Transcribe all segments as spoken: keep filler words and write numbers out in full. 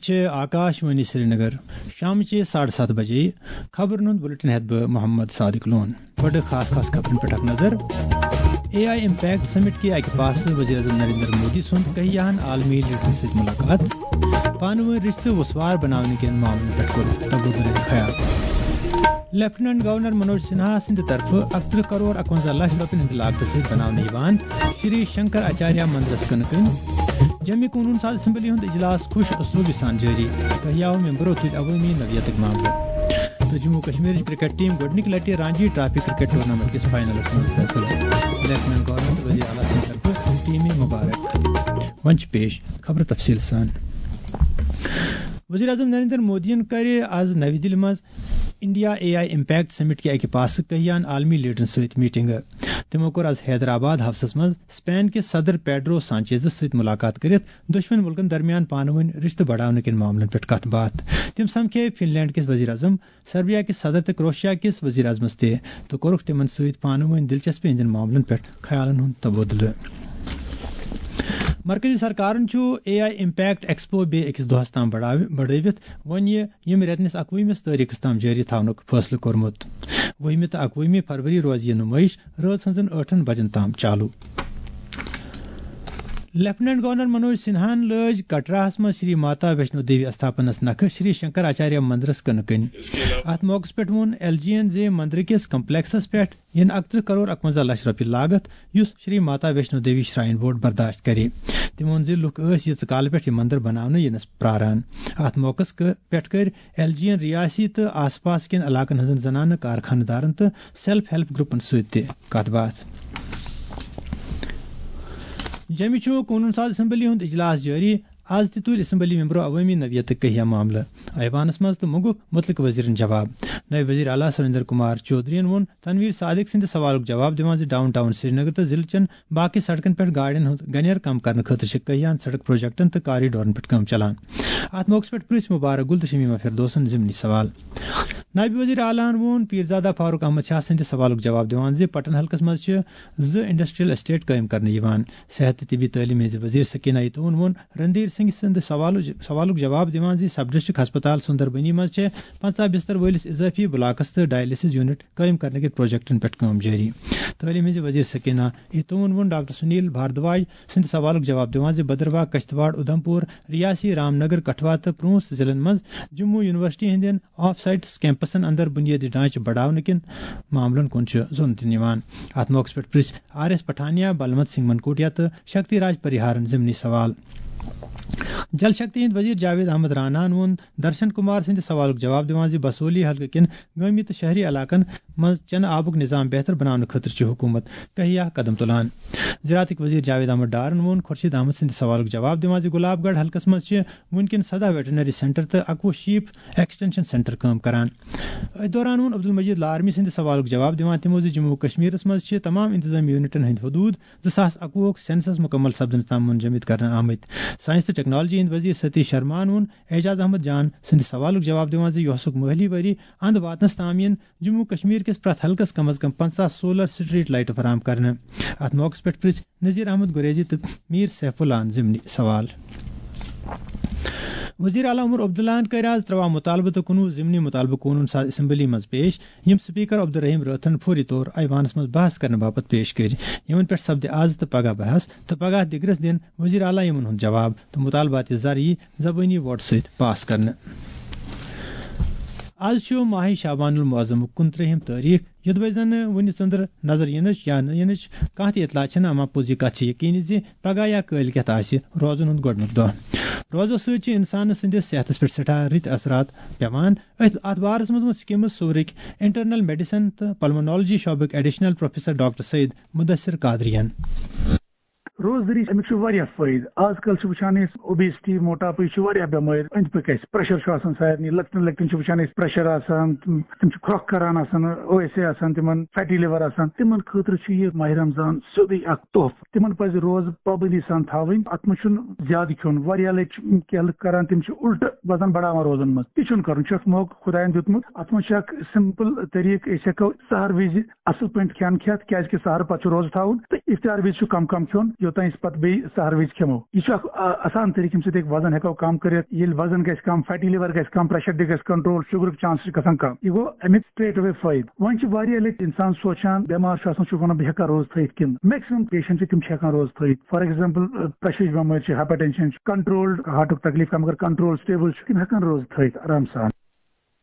چھِ آکاش وانی سرینگر۔ شامچہِ ساڑٕ ستھ بجے خبرن ہُنٛد بُلٹن ہٮ۪تھ بہٕ محمد صادق لون۔ گۄڈٕ خاص خاص خبرن پٮ۪ٹھ اکھ نظر۔ اے آئی امپیکٹ سمٹ کہِ اکہِ پاسہٕ وزیر اعظم نریندر مودی سُنٛد کہیاہن عالمی لیڈرن سۭتۍ ملاقات۔ پانہٕ وٲنۍ رشتہٕ وسوار بناونہٕ کٮ۪ن معاملن پٮ۪ٹھ کوٚر تبادلہ خیال۔ لیفٹیننٹ گورنر منوج سنہا سٕنٛدِ طرفہٕ اکترٕہ کرور اکونزہ لچھ رۄپین ہٕنٛدِ لاگتہٕ سۭتۍ بناونہٕ یِوان شری شنکر آچاریہ مندرس کٕنہٕ کٔنۍ۔ جمعی قونوٗن ساز اسمبلی ہُنٛد اجلاس خوش اسلوبہِ سان جٲری۔ کہیاہو ممبرو تُلۍ عوٲمی نوعیتٕکۍ معاملہٕ۔ تہٕ جموں کشمیرٕچ کرکٹ ٹیم گۄڈٕنِکہِ لٹہِ رانجی ٹرافی کرکٹ ٹورنامنٹ کِس فاینلس منٛز دٲخل۔ لیفٹیننٹ گورنر تہٕ وزیر اعلیٰ سٕنٛدِ طرفہٕ ٹیمہِ مبارک۔ وۄنۍ چھِ پیش خبرٕ تفصیٖل سان۔ وزیر اعظم نریندر مودیَن کَرِ آز نَوِ دِلہِ منٛز انڈیا اے آئی امپیکٹ سمٹ کہِ اکہِ پاسہٕ کہیان عالمی لیڈرن سۭتۍ میٹنگ۔ تِمو کوٚر آز حیدرآباد ہاوسس منٛز اسپین کِس صدر پیڈرو سانچیزس سۭتۍ ملاقات کٔرِتھ دۄشوٕنی مُلکن درمیان پانہٕ وٲنۍ رشتہٕ بڑاونہٕ کٮ۪ن معاملن پٮ۪ٹھ کتھ باتھ۔ تِم سمکھے فن لینڈ کِس وزیر اعظم، سربیا کِس صدر تہٕ کروشیا کِس وزیر اعظمس تہِ، تہٕ کوٚرُکھ تِمن سۭتۍ پانہٕ وٲنۍ دلچسپی ہٕنٛدٮ۪ن معاملن پٮ۪ٹھ خیالن ہُنٛد تبادلہٕ۔ مرکزی سرکارن چھُ اے آئی امپیکٹ ایکسپو بیٚیہِ أکِس دۄہس تام بڑاوِ-، بڑٲوِتھ وۄنۍ یہِ ییٚمہِ رٮ۪تہٕ نِس اکوُہمِس تٲریخس تام جٲری تھاونُک فٲصلہٕ کوٚرمُت۔ وُہمہِ تہٕ اکوُہمہِ فروری روزِ یہِ نُمٲیِش رٲژ ہٕنٛزن ٲٹھن بجن تام چالو۔ لیفٹیننٹ گورنر منوج سنہاہن لٲج کٹراہس منٛز شری ماتا ویشنو دیوی استھاپنس نکھٕ شری شنکر آچاریہ مندرس کٕنہٕ کٔنۍ۔ اتھ موقعس پٮ۪ٹھ ووٚن ایل جی یَن زِ مندرٕ کِس کمپلیکسس پٮ۪ٹھ یِن اکترٕہ کرور اکونزہ لچھ رۄپیہِ لاگتھ، یُس شری ماتا ویشنو دیوی شراین بورڈ برداشت کرِ۔ تٔمۍ ووٚن زِ لُکھ ٲسۍ ییٖژٕ کالہٕ پٮ۪ٹھ یہِ مندر بناونہٕ یِنس پراران۔ اتھ موقعس کہٕ-، پٮ۪ٹھ کٔرۍ ایل جی یَن ریاسی تہٕ آس پاس کٮ۪ن علاقن ہٕنٛزن زنانہٕ کارخانہٕ دارن تہٕ سیلف ہیلپ گروپن سۭتۍ تہِ کتھ باتھ۔ جیٚمہِ چھُ قونوٗن ساز اسمبلی ہُنٛد اجلاس جٲری۔ از تہِ تُلۍ اسمبلی ممبرو عوٲمی نوعیتٕکۍ کہیا معاملہٕ ایوانس منٛز تہٕ منٛگُکھ مُتعلقہٕ وزیرن جواب۔ نٲیِب وزیر اعلیٰ سریندر کمار چودھرین ووٚن تنویر صادق سٕنٛدِ سوالُک جواب دِوان زِ ڈاؤن ٹاؤن سرینگر تہٕ ضلعہٕ چٮ۪ن باقٕے سڑکن پٮ۪ٹھ گاڑٮ۪ن ہُنٛد گنیر کم کرنہٕ خٲطرٕ چھِ کہیاہن سڑک پروجیکٹن تہٕ کارڈورن پٮ۪ٹھ کٲم چلان۔ اتھ موقعس پٮ۪ٹھ پرژھ مبارک گل تہٕ شمیمہ فردوسن ضمنی سوال۔ نٲیِب وزیر اعلیٰ ہَن ووٚن پیرزادہ فاروق احمد شاہ سٕنٛدِ سوالُک جواب دِوان زِ پٹن حلقس منٛز چھِ زٕ انڈسٹریل اسٹیٹ قٲیِم کرنہٕ یِوان۔ صحت تہٕ طبی تعلیٖم ہٕنٛزِ وزیر سکینہ ایتون ووٚن رندھیر سنگھ سٕنٛدِ سوالُک، سوالُک جواب دِوان زِ سب ڈسٹرکٹ ہسپتال سُندربنی منٛز چھِ پنٛژاہ بستر وٲلِس اضٲفی بلاکس تہٕ ڈائلسس یونٹ قٲیِم کرنہٕ کِس پروجیکٹن پٮ۪ٹھ کٲم جٲری۔ تعلیٖم ہٕنٛزِ وزیر سکینہ ایتون ووٚن ڈاکٹر سنیل بھاردواج سٕنٛدِ سوالُک جواب دِوان زِ بدرواہ، کشتواڑ، اُدھمپور، ریاسی رام نگر، کٹھوا تہٕ پونٛچھ ضلعن منٛز جموں یونیورسٹی ہٕنٛدٮ۪ن آف سائٹس کیمپسن اندر بنیٲدی ڈھانچہٕ بڑاونہٕ کٮ۪ن معاملن کُن چھُ زوٚن دِنہٕ یِوان۔ اتھ موقعس پٮ۪ٹھ پرژھ آر ایس پٹھانیا، بلونت سنگھ منکوٹیا تہٕ شکتی راج پریہارن ضمنی سوال۔ جل شکتی ہٕنٛدۍ وزیر جاوید احمد راناہن ووٚن درشن کمار سٕنٛدِ سوالُک جواب دِوان زِ بسولی حلقہٕ کٮ۪ن گٲمی تہٕ شہری علاقن منٛز چنہٕ آبُک نظام بہتر بناونہٕ خٲطرٕ چھُ حکوٗمت کہیا قدم تُلان۔ زراعتٕکۍ وزیر جاوید احمد ڈارن ووٚن خورشید احمد سٕنٛدِ سوالُک جواب دِوان زِ گۄلاب گڑھ حلقس منٛز چھِ وُنکٮ۪ن سداہ ویٹرنری سینٹر تہٕ اکوُہ شیپ ایکسٹینشن سینٹر کٲم کران۔ أتھۍ دوران ووٚن عبدالمجید لارمی سٕنٛدِ سوالُک جواب دِوان تِمو زِ جموں و کشمیرس منٛز چھِ تمام انتظامی یونٹن ہٕنٛدۍ حدود زٕ ساس اکوُہُک سینسس مکمل سپدنس تام منجمد کرنہٕ آمٕتۍ۔ سائنس تہٕ ٹیکنالوجی ہٕنٛدۍ وزیر ستیش شرماہن ووٚن اعجاز احمد جان سٕنٛدِ سوالُک جواب دِوان زِ یوسُک مٲلی ؤری اند واتنس تام یِن جموں و کشمیر کِس پرٛٮ۪تھ حلقس کم از کم پنٛژاہ سولر سٹریٹ لائٹہٕ فراہم کرنہٕ۔ اتھ موقعس پٮ۪ٹھ پرژھ نذیر احمد گریزی تہٕ میر سیف اللہ ضمنی سوال۔ وزیر اعلیٰ عمر عبداللہ ہن کٔرۍ آز ترٛواہ مطالبہٕ تہٕ کُنوُہ ضمنی مطالبہٕ قونوٗن ساز اسمبلی منٛز پیش، یِم سپیکر عبدالرحیم رٲتھرن فوری طور ایوانس منٛز بحث کرنہٕ باپتھ پیش کٔرۍ۔ یِمن پٮ۪ٹھ سپدِ آز تہٕ پگاہ بحث تہٕ پگاہ دِگرس دِن وزیر اعلیٰ یِمن ہُنٛد جواب تہٕ مطالبات زر یی زبٲنی ووٹ سۭتۍ پاس کرنہٕ۔ آز چھُ ماہِ شعبان المعظمُک کُنترٛہِم تٲریخ، یوٚدوَے زَن وُنہِ ژٔنٛدٕر نظر یِنٕچ یا نہٕ یِنٕچ کانٛہہ تہِ اطلاع چھَنہٕ، اما پوٚز یہِ کَتھ چھِ یقینی زِ پگاہ یا کٲلۍ کٮ۪تھ آسہِ روزن ہُنٛد گۄڈٕنیُک دۄہ۔ روزو سۭتۍ چھِ اِنسانَس سٕنٛدِس صحتَس پٮ۪ٹھ سٮ۪ٹھاہ رٕتۍ اثرات پٮ۪وان۔ أتھۍ، اَتھ بارَس منٛز ووٚن سکمز صوٗرٕکۍ انٹرنل میڈیسن تہٕ پلمونالوجی شعبٕکۍ additional professor doctor Saeed Mudasir Qadri یَن۔ روزدٔری، اَمیُک چھُ واریاہ فٲیدٕ۔ آز کل چھِ وٕچھان أسۍ، اوبیسٹی، موٹاپٕے چھُ واریاہ بٮ۪مٲرۍ أنٛدۍ پٔکۍ اَسہِ۔ پریشر چھُ آسان سارنٕے، لۄکٹٮ۪ن لۄکٹٮ۪ن چھِ وٕچھان أسۍ پریشر آسان، تِم چھِ کھرٛۄکھ کران آسان، او ایس اے آسان، تِمن فیٹی لِور آسان۔ تِمن خٲطرٕ چھُ یہِ ماہِ رمضان سیوٚدُے اکھ تحفہٕ۔ تِمن پزِ روزٕ پابندی سان تھاوٕنۍ۔ اتھ منٛز چھُنہٕ زیادٕ کھیوٚن۔ واریاہ لٹہِ چھِ کینٛہہ لُکھ کران، تِم چھِ الٹہٕ وزن بڑاوان روزن منٛز۔ تہِ چھُنہٕ کرُن، چھُ اکھ موقعہٕ خۄداین دیُتمُت۔ اتھ منٛز چھُ اکھ سمپل طریقہٕ، أسۍ ہٮ۪کو سحر وِزِ اصل پٲٹھۍ کھٮ۪ن کھٮ۪تھ، کیازِ کہِ سحرٕ پتہٕ چھُ روزٕ تھاوُن، تہٕ افطار وِزِ چھُ کم کم کھیوٚن، یوٚت تہٕ أسۍ پتہٕ بیٚیہِ سحر وِزِ کھٮ۪مو۔ یہِ چھُ اکھ، آ، آسان طریٖقہٕ، ییٚمہِ سۭتۍ أسۍ وزن ہٮ۪کو کم کٔرِتھ۔ ییٚلہِ وزن گژھِ کم، فیٹی لیور گژھِ کم، پریشر تہِ گژھِ کنٹرول، شُگرُک چانس چھُ گژھان کم۔ یہِ گوٚو امیُک straight away فٲیدٕ۔ وۄنۍ چھِ واریاہ لٹہِ انسان سونچان، بٮ۪مار چھُ آسان، چھُ ونان، بہٕ ہٮ۪کا روزٕ تھٲیِتھ کِنہٕ؟ میکسیمم پیشنٹ چھِ، تِم چھِ ہٮ۪کان روزٕ تھٲیِتھ۔ فار ایگزامپل، پریشرٕچ بٮ۪مٲرۍ چھِ، ہایپر ٹینشن چھُ، کنٹرول ہارٹُک تکلیف کم، اگر کنٹرول سٹیبل چھُ، تِم ہٮ۪کان روزٕ تھٲیِتھ آرام سان۔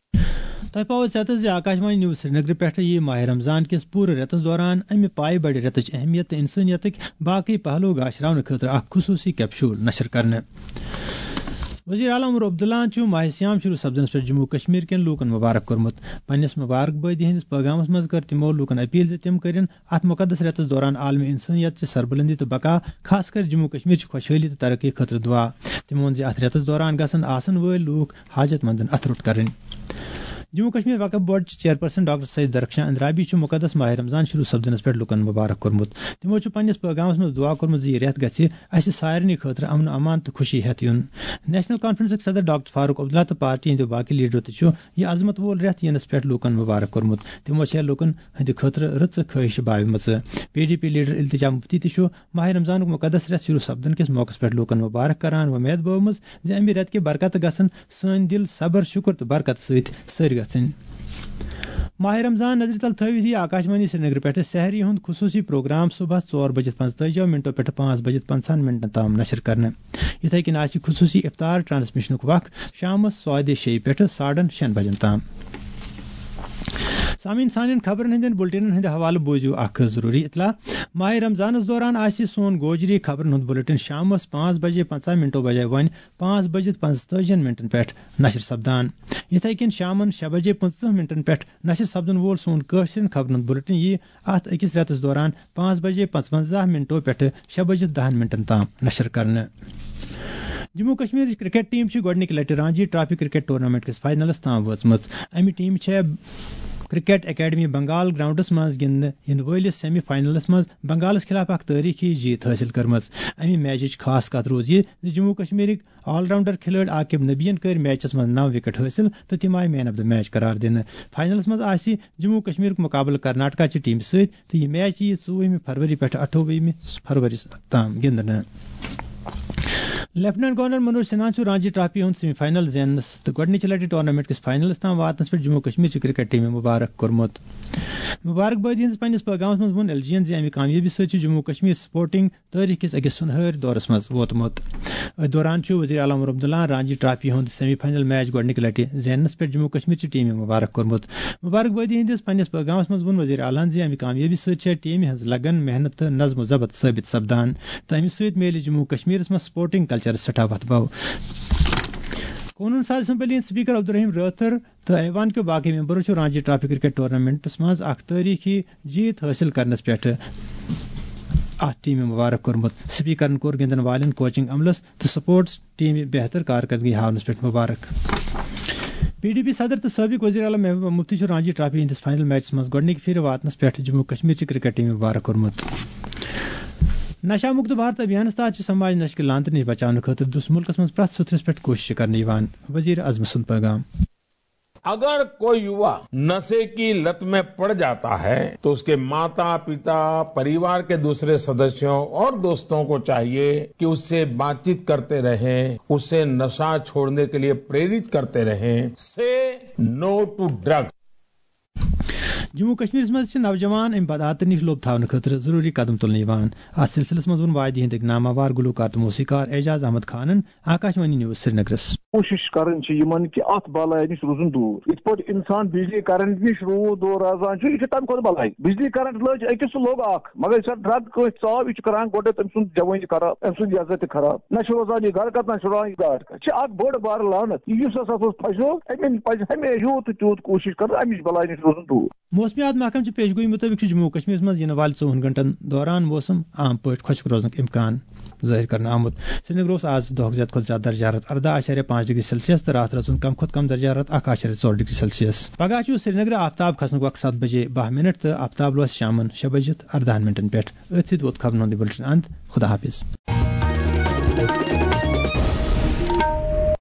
تۄہہِ پاوو ژٮ۪تس زِ آکاش وانی نیوز سرینگرٕ پٮ۪ٹھٕ یِیہِ ماہِ رمضان کِس پوٗرٕ رٮ۪تس دوران امہِ پایہِ بڑِ رٮ۪تٕچ اہمیت تہٕ انسٲنیتٕکۍ باقٕے پہلو گاشراونہٕ خٲطرٕ اکھ خصوٗصی کیپشول نشر کرنہٕ۔ وزیر اعلیٰ عمر عبداللہن چھُ ماہِ صیام شروع سپدنس پٮ۪ٹھ جموں کشمیر کٮ۪ن لوٗکن مبارک کوٚرمُت۔ پننِس مبارک بٲدی ہٕنٛدِس پیغامس منٛز کٔر تِمو لوٗکن اپیل زِ تِم کٔرِن اتھ مقدس رٮ۪تس دوران عالمی انسٲنیت چہِ سربلندی تہٕ بقا، خاص کر جموں کشمیر چہِ خۄشحٲلی تہٕ ترقی خٲطرٕ دعا۔ تِمو ووٚن زِ اتھ رٮ۪تس دوران گژھن آسن وٲلۍ لوٗکھ حاجت مندن اتھٕ روٚٹ کرٕنۍ۔ جموں کشمیر وقف بورڈ چہِ چیئرپرسن ڈاکٹر سید درخشان اندرابی چھُ مقدس ماہِ رمضان شروع سپدنس پٮ۪ٹھ لوٗکن مبارک کوٚرمُت۔ تِمو چھُ پننِس پیغامس منٛز دعا کوٚرمُت زِ یہِ رٮ۪تھ گژھِ اسہِ سارنٕے خٲطرٕ امن و امان تہٕ خوشی ہٮ۪تھ یُن۔ نیشنل کانفرنسٕکۍ صدر ڈاکٹر فاروق عبداللہ تہٕ پارٹی ہٕنٛدیو باقٕے لیڈرو تہِ چھُ یہِ عظمت وول رٮ۪تھ یِنس پٮ۪ٹھ لوٗکن مبارک کوٚرمُت۔ تِمو چھےٚ لوٗکن ہٕنٛدِ خٲطرٕ رٕژٕ خٲہِشہٕ باوِمژٕ۔ پی ڈی پی لیڈر التجا مفتی تہِ چھُ ماہِ رمضانُک مقدس رٮ۪تھ شروع سپدن کِس موقعس پٮ۪ٹھ لوٗکن مبارک کران وۄمید بٲومٕژ زِ امہِ رٮ۪تہٕ کہِ برکتہٕ گژھن سٲنۍ دِل صبر، شُکر تہٕ برکت سۭتۍ سٔرۍ گژھٕنۍ۔ ماہِ رمضان نظرِ تل تھٲوِتھ یِیہِ آکاشوانی سرینگرٕ پٮ۪ٹھٕ سحری ہُنٛد خصوٗصی پروگرام صبحس ژور بجہِ پنٛژتٲجی منٹو پٮ۪ٹھٕ پانٛژھ بجہِ پنٛژاہن منٹن تام نشر کرنہٕ۔ یِتھے کٔنۍ آسہِ خصوٗصی افطار ٹرانسمیشنُک وق شامس ساڑِ شیٚیہِ پٮ۪ٹھٕ ساڑن شٮ۪ن بجن تام۔ سامعین، سانٮ۪ن خبرن ہٕنٛدٮ۪ن بُلٹنن ہٕنٛدِ حوالہٕ بوٗزِو اکھ ضروٗری اطلاع۔ ماہِ رمضانس دوران آسہِ سون گوجری خبرن ہُنٛد بُلٹن شامس پانٛژھ بجے پنٛژاہ منٹو بجے وۄنۍ پانٛژھ بجہِ پنٛژتٲجی منٹن پٮ۪ٹھ نشر سپدان۔ یِتھے کٔنۍ شامن شےٚ بجے پٕنٛژٕہ منٹن پٮ۪ٹھ نشر سپدن وول سون کٲشرٮ۪ن خبرن ہُنٛد بُلٹن یِیہِ اتھ أکِس رٮ۪تس دوران پانٛژھ بجے پنٛژونٛزاہ منٹو پٮ۪ٹھٕ شےٚ بجہِ دہن منٹن تام نشر کرنہٕ۔ جموں کشمیرٕچ کرکٹ ٹیم چھِ گۄڈٕنِکہِ لٹہِ رانجی ٹرافی کرکٹ ٹورنامنٹ کِس فاینلس تام وٲژمٕژ۔ امہِ ٹیمہِ چھےٚ کرکٹ اکیڈمی بنگال گراؤنڈس منٛز گِنٛدنہٕ یِنہٕ وٲلِس سیمی فاینلس منٛز بنگالس خلاف اکھ تٲریخی جیت حٲصِل کٔرمٕژ۔ امہِ میچٕچ خاص کتھ روٗز یہِ زِ جموں کشمیرٕکۍ آل راؤنڈر کھلٲڑۍ عاقب نبیَن کٔرۍ میچس منٛز نو وکٹ حٲصِل تہٕ تِم آیہِ مین آف دی میچ قرار دِنہٕ۔ فاینلس منٛز آسہِ جموں کشمیرُک مقابلہٕ کرناٹکا چہِ ٹیمہِ سۭتۍ تہٕ یہِ میچ یِیہِ ژوٚوُہمہِ فروری پٮ۪ٹھٕ اَٹھووُہمہِ فروری تام گِنٛدنہٕ۔ لیفٹیننٹ گورنر منوج سنہاہن چھُ رانجی ٹرافی ہُنٛد سیمی فاینل زیننس تہٕ گۄڈٕنِچہِ لٹہِ ٹورنامنٹ کِس فاینلس تام واتنس پٮ۪ٹھ جموں کشمیر چہِ کرکٹ ٹیمہِ مبارک کوٚرمُت۔ مبارک بٲدی ہٕنٛدِس پننِس پیغامس منٛز ووٚن ایل جی ین زِ امہِ کامیٲبی سۭتۍ چھُ جموں کشمیر سپورٹنگ تٲریخ کِس أکِس سُنہٲرۍ دورس منٛز ووتمُت۔ أتھۍ دوران چھُ وزیر اعلیٰ عمر عبداللہ رانجی ٹرافی ہُنٛد سیمی فاینل میچ گۄڈٕنِکہِ لٹہِ زیننس پٮ۪ٹھ جموں کشمیر چہِ ٹیمہِ مبارک کوٚرمُت۔ مبارک بٲدی ہٕنٛدِس پننِس پیغامس منٛز ووٚن وزیر اعلیٰ ہن زِ امہِ کامیٲبی سۭتۍ چھےٚ ٹیمہِ ہٕنٛز لگن، محنت تہٕ نظم و ضبط ثٲبت سپدان تہٕ امہِ سۭتۍ میلہِ جموں کشمیرس منٛز سپورٹنگ کلچرس سٮ۪ٹھاہ وتھ بو۔ قونوٗن ساز اسمبلی ہٕنٛدۍ سپیکر عبدالرحیم رٲتھر تہٕ ایوان کیو باقٕے ممبرو چھُ رانجی ٹرافی کرکٹ ٹورنامنٹس منٛز اکھ تٲریخی جیت حٲصِل کرنس پٮ۪ٹھ اتھ ٹیمہِ مبارک کوٚرمُت۔ سپیکرن کوٚر گِنٛدن والٮ۪ن، کوچنگ عملس تہٕ سپورٹس ٹیمہِ بہتر کارکردگی ہاونس پٮ۪ٹھ مبارک۔ پی ڈی پی صدر تہٕ سٲبق وزیر اعلیٰ محبوبہ مفتی چھُ رانجی ٹرافی ہٕنٛدِس فاینل میچس منٛز گۄڈٕنِکہِ پھِرِ واتنس پٮ۪ٹھ جموں کشمیر چہِ کرکٹ ٹیمہِ مبارک کوٚرمُت۔ نشہ مکت بھارت ابھیانس تحت چھِ سماج نشہٕ کہِ لعنتہٕ نِش بچاونہٕ خٲطرٕ دُس مُلکس منٛز پرٛٮ۪تھ سُتھرِس پٮ۪ٹھ کوٗشش کرنہٕ یِوان، وزیر اعظم سُنٛد پیغام۔ اگر کوئی یوا नशे की लत में पड़ जाता है, तो उसके माता, पिता, परिवार के दूसरे सदस्यों और दोस्तों को चाहिए कि उससे बातचीत करते रहें, उसे नशा छोड़ने के लिए प्रेरित करते रहें। Say no to drugs. Jammu کشمیرس منٛز چھِ نوجوان امہِ بدعاتہٕ نِش لوٚب تھاونہٕ خٲطرٕ ضروٗری قدم تُلنہٕ یِوان۔ اتھ سلسلس منٛز ووٚن وادی ہٕنٛدۍ أکۍ ناماوار گلوکار تہٕ موسیقار اعجاز احمد خانن آکاشوانی نیوز سرینگرس۔ کوٗشِش کرٕنۍ چھِ یِمن کہِ اتھ بلایہِ نِش روزُن دوٗر۔ یِتھ پٲٹھۍ انسان بجلی کرنٹ نِش روٗد دور روزان چھُ، یہِ چھُ تمہِ کھۄتہٕ بلایہِ۔ بجلی کرنٹ لٔج أکِس تہٕ لوٚگ اکھ، مگر یُس اکھ ڈرگ کٲنٛسہِ ژاو، یہِ چھُ کران گۄڈٕ تٔمۍ سُنٛد جوٲنی خراب، أمۍ سُنٛد عزت تہِ خراب۔ نہ چھُ روزان یہِ گرٕ کتھ، نہ چھُ روزان یہِ گاڈ کتھ۔ چھِ اکھ بٔڑ بار لعنت۔ یُس ہسا اتھ منٛز پھسیو، أمِس پزِ ہمیشہِ یوٗت تہٕ تیوٗت کوٗشِش کرٕنۍ، امِچ بلایہِ نِش روزُن دوٗر۔ موسمیات محکمہٕ چہِ پیشگویی مُطٲبِق چھُ جموں و کشمیرس منٛز یِنہٕ والہِ ژوٚوُہن گھنٹن دوران موسم عام پٲٹھۍ خۄشک روزنُک امکان ظٲہِر کرنہٕ آمُت۔ سرینگر اوس آز دۄہُک زیادٕ کھۄتہٕ زیادٕ درجہ حرارت ارداہ اعشاریہ پانٛژھ ڈگری سیلسیس تہٕ راتھ رٲژ ہُنٛد کم کھۄتہٕ کم درجہ حرارت اکھ اعشاریہ ژور ڈگری سیلسیس۔ پگاہ چھُ سرینگرٕ آفتاب کھسنُک وقت ستھ بجے باہ منٹ تہٕ آفتاب لوسہِ شامن شےٚ بجہِ تہٕ ارداہن منٹن پٮ۪ٹھ۔ أتھۍ سۭتۍ ووت خبرن ہُنٛد یہِ بُلٹن اند۔ خدا حافظ۔